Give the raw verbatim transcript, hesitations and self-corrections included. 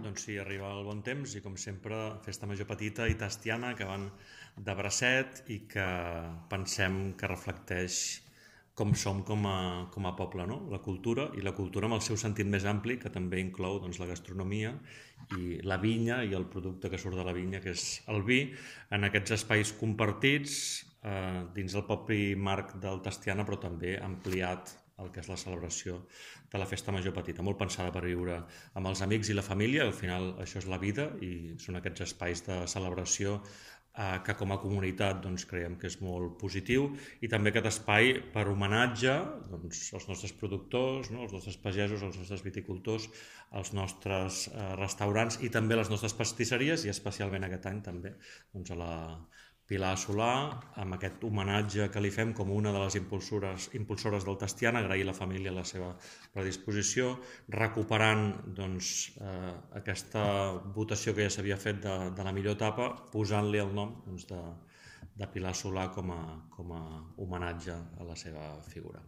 Doncs sí, arriba el bon temps i com sempre festa major petita i tastiana que van de bracet i que pensem que reflecteix com som com a, com a poble, no? La cultura i la cultura amb el seu sentit més ampli, que també inclou doncs, la gastronomia i la vinya i el producte que surt de la vinya, que és el vi, en aquests espais compartits eh, dins del propi marc del Tastiana, però també ampliat el que és la celebració de la festa major petita, molt pensada per viure amb els amics i la família. Al final això és la vida i són aquests espais de celebració eh, que com a comunitat doncs, creiem que és molt positiu, i també aquest espai per homenatge doncs, als nostres productors, no? als nostres pagesos, als nostres viticultors, als nostres eh, restaurants i també a les nostres pastisseries, i especialment aquest any també doncs, a la Pilar Solà, amb aquest homenatge que li fem com una de les impulsores, impulsores del Tastiana, agrair a la família la seva predisposició, recuperant doncs, eh, aquesta votació que ja s'havia fet de, de la millor etapa, posant-li el nom doncs, de, de Pilar Solà com a, com a homenatge a la seva figura.